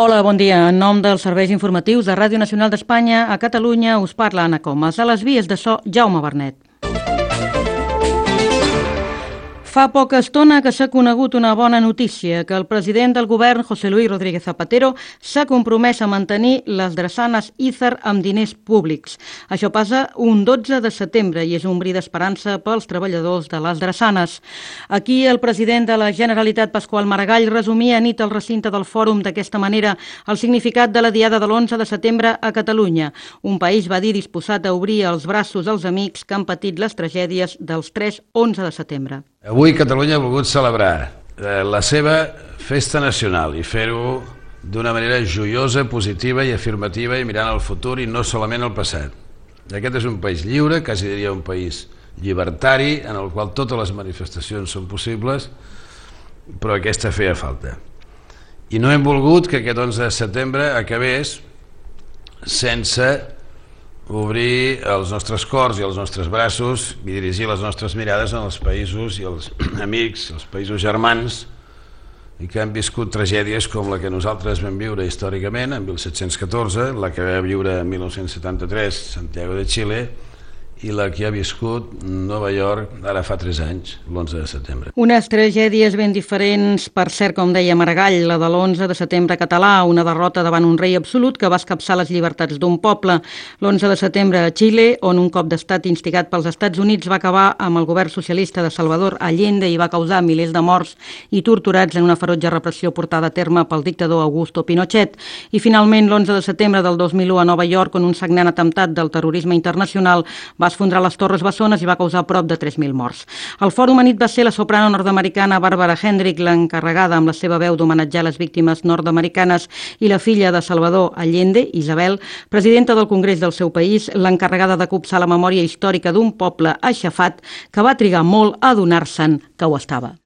Hola, bon dia. En nom dels serveis informatius de Ràdio Nacional d'Espanya, a Catalunya us parla Anna Comas. A les vies de so, Jaume Bernet. Fa poca estona que s'ha conegut una bona notícia, que el president del govern, José Luis Rodríguez Zapatero, s'ha compromès a mantenir les drassanes IZAR amb diners públics. Això passa un 12 de setembre i és un bri d'esperança pels treballadors de les drassanes. Aquí el president de la Generalitat, Pasqual Maragall, resumia a nit al recinte del fòrum d'aquesta manera el significat de la diada de l'11 de setembre a Catalunya. Un país, va dir, disposat a obrir els braços als amics que han patit les tragèdies dels 3-11 de setembre. Avui Catalunya ha volgut celebrar la seva festa nacional i fer-ho d'una manera joiosa, positiva i afirmativa i mirant al futur i no solament al passat. Aquest és un país lliure, quasi diria un país llibertari, en el qual totes les manifestacions són possibles, però aquesta feia falta. I no hem volgut que aquest 11 de setembre acabés sense obrir els nostres cors i els nostres braços i dirigir les nostres mirades en els països i els amics, els països germans i que han viscut tragèdies com la que nosaltres vam viure històricament en 1714, la que va viure en 1973 Santiago de Xile i la que ha viscut Nova York ara fa 3 anys, l'11 de setembre. Unes tragèdies ben diferents, per cert, com deia Maragall, la de l'11 de setembre català, una derrota davant un rei absolut que va escapçar les llibertats d'un poble. L'11 de setembre a Xile, on un cop d'estat instigat pels Estats Units va acabar amb el govern socialista de Salvador Allende i va causar milers de morts i torturats en una ferotge repressió portada a terme pel dictador Augusto Pinochet. I finalment, l'11 de setembre del 2001 a Nova York, on un sagnant atemptat del terrorisme internacional va esfondrar les Torres Bessones i va causar prop de 3.000 morts. El fòrum anit va ser la soprano nord-americana Barbara Hendrick, l'encarregada amb la seva veu d'homenatjar les víctimes nord-americanes, i la filla de Salvador Allende, Isabel, presidenta del Congrés del seu país, l'encarregada de copsar la memòria històrica d'un poble aixafat que va trigar molt a adonar-se'n que ho estava.